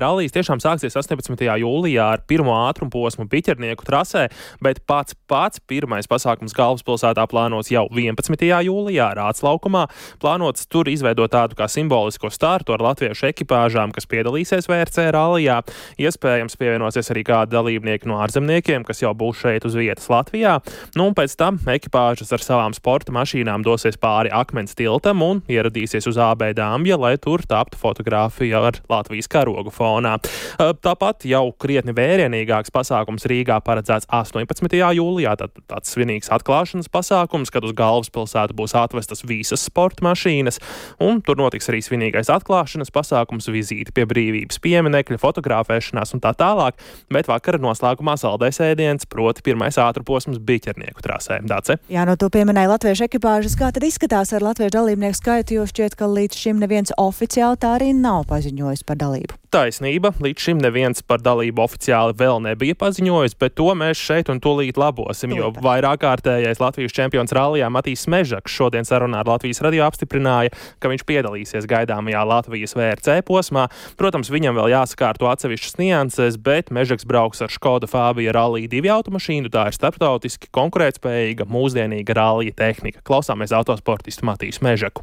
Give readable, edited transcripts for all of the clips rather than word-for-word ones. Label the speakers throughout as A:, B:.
A: Rallijs tiešām sāksies 18. jūlijā ar pirmo ātrumposmu Biķernieku trasē, bet pats pirmais pasākums galvaspilsētā plānots jau 11. jūlijā Rāts laukumā. Plānots tur izveidot tādu kā simbolisko startu ar latviešu ekipāžām, kas piedalīsies VRC rallijā. Iespējams pievienosies arī kādi dalībnieki no ārzemniekiem, kas jau būs šeit uz vietas Latvijā. Un pēc tam ekipāžas ar savām sporta mašīnām dosies pāri Akmens tiltam un ieradīsies uz AB Dambja, lai tur taptu fotogrāfija ar Latvijas karogu fonā. Tāpat jau krietni vērienīgāks pasākums Rīgā paredzēts 18. jūlijā, tāds svinīgs atklāšanas pasākums, kad uz galvaspilsētu būs atvestas visas sporta mašīnas, un tur notiks arī svinīgais atklāšanas pasākums, vizīti pie brīvības pieminekļa, fotografēšanās un tā tālāk, bet vakara noslēgumā saldais ēdiens, proti pirmais ātrposms Biķernieku trasē. Dace?
B: Jā, no to pieminēja latviešu ekipāžas. Kā tad izskatās ar latviešu dalībnieku skaitu, jo šķiet, ka līdz šim neviens oficiāli tā arī nav paziņojis par dalību?
A: Taisnība, līdz šim neviens par dalību oficiāli vēl nebija paziņojis, bet to mēs šeit un tūlīt labosim, jo vairāk kārtējais Latvijas čempions rallijā Matīs Mežaks šodien sarunā ar Latvijas radio apstiprināja, ka viņš piedalīsies gaidāmajā Latvijas VRC posmā. Protams, viņam vēl jāsakārto atsevišķas nianses, bet Mežaks brauks ar Škoda Fabia Rallija 2 automašīnu, tā ir starptautiski konkurētspējīga, mūsdienīga rallija tehnika. Klausāmies autosportistu Matīsu Mežaku.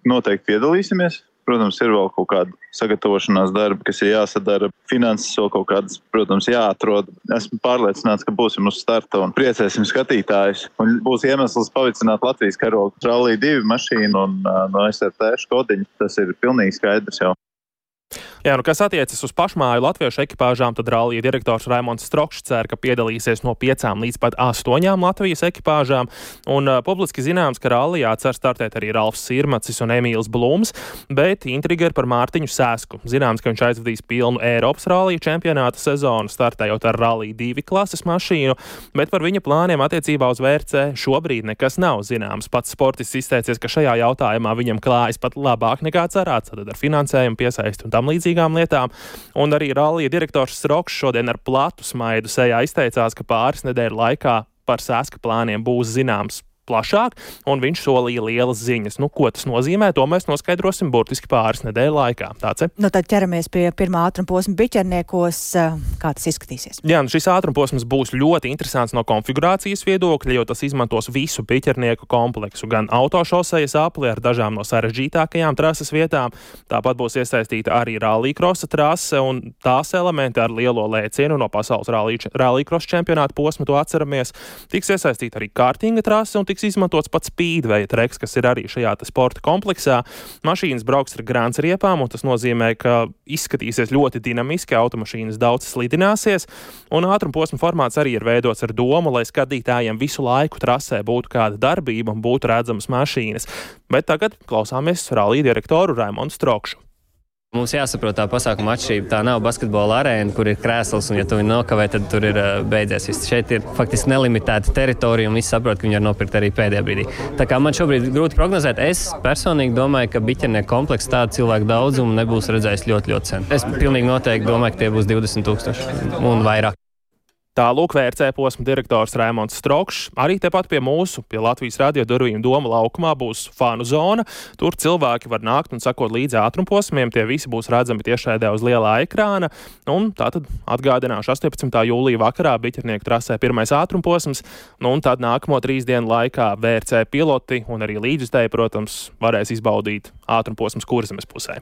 C: Noteikti piedalīsimies. Protams, ir vēl kaut kāda sagatavošanās darba, kas ir jāsadara. Finanses vēl kaut kādas, protams, jāatrod. Esmu pārliecināts, ka būsim uz starta un priecēsim skatītājus. Un būs iemesls pavicināt Latvijas karogu Rallija 2 mašīnu un no SRT Škodiņu. Tas ir pilnīgi skaidrs jau.
A: Jā, kas attiecas uz pašmāju latviešu ekipāžām, tad rallija direktors Raimonds Strokšs cer, ka piedalīsies no 5 līdz pat 8 Latvijas ekipāžām. Un publiski zināms, ka rallijā cer startēt arī Ralfs Sirmacis un Emīls Blūms, bet intriga ir par Mārtiņu Sēsku. Zināms, ka viņš aizvadīs pilnu Eiropas rallija čempionāta sezonu, startējot ar Rallija 2 klases mašīnu, bet par viņa plāniem attiecībā uz VRC šobrīd nekas nav zināms. Pats sportists izteicies, ka šajā jautājumā viņam klājas pat labāk nekā cerēts, tad ar finansējumu piesaisti un tam līdzīgi lietām. Un arī rallija direktors Strokšs šodien ar platu smaidu sejā izteicās, ka pāris nedēļu laikā par Sēska plāniem būs zināms plašāk, un viņš solīja lielas ziņas. Ko tas nozīmē, to mēs noskaidrosim burtiski pāris nedēļu laikā. Tāds.
B: Tad ķeramies pie pirmā ātrumposma Biķerniekos. Kā tas izskatīsies?
A: Jā, šis ātrumposms būs ļoti interesants no konfigurācijas viedokļa, jo tas izmantos visu Biķernieku kompleksu, gan autošosejas apli ar dažām no sarežģītākajām trases vietām. Tāpat būs iesaistīta arī rallycrossa trase un tās elementi ar lielo lēcienu no pasaules rallycross čempionāta posma, to atceramies. Tiks iesaistīta arī kartinga trase un tiks izmantots pats speedway treks, kas ir arī šajā sporta kompleksā. Mašīnas brauks ar grānsriepām, un tas nozīmē, ka izskatīsies ļoti dinamiski, automašīnas daudz slidināsies, un ātrumposma formāts arī ir veidots ar domu, lai skatītājiem visu laiku trasē būtu kāda darbība un būtu redzamas mašīnas. Bet tagad klausāmies rallija direktoru Raimondu Strokšu.
D: Mums jāsaprot tā pasākuma atšķirība. Tā nav basketbola arēna, kur ir krēsls, un ja tu viņu nokavē, tad tur ir beidzies viss. Šeit ir faktiski nelimitēta teritorija, un visi saprot, ka viņi var nopirkt arī pēdējā brīdī. Tā kā man šobrīd grūti prognozēt, es personīgi domāju, ka Biķernieku komplekss tādu cilvēku daudzumu nebūs redzējis ļoti, ļoti sen. Es pilnīgi noteikti domāju, ka tie būs 20,000 un vairāk.
A: Tā lūk VRC posma direktors Raimonds Strokšs. Arī tepat pie Latvijas radio durvīm Doma laukumā būs fanu zona. Tur cilvēki var nākt un sakot līdzi ātrumposmiem. Tie visi būs redzami tiešraidē uz lielā ekrāna. Un tātad atgādināšu 18. jūlija vakarā Biķernieku trasē pirmais ātrumposms. Un tad nākamo 3 dienu laikā VRC piloti un arī līdzjutēji, protams, varēs izbaudīt ātrumposmus Kurzemes pusē.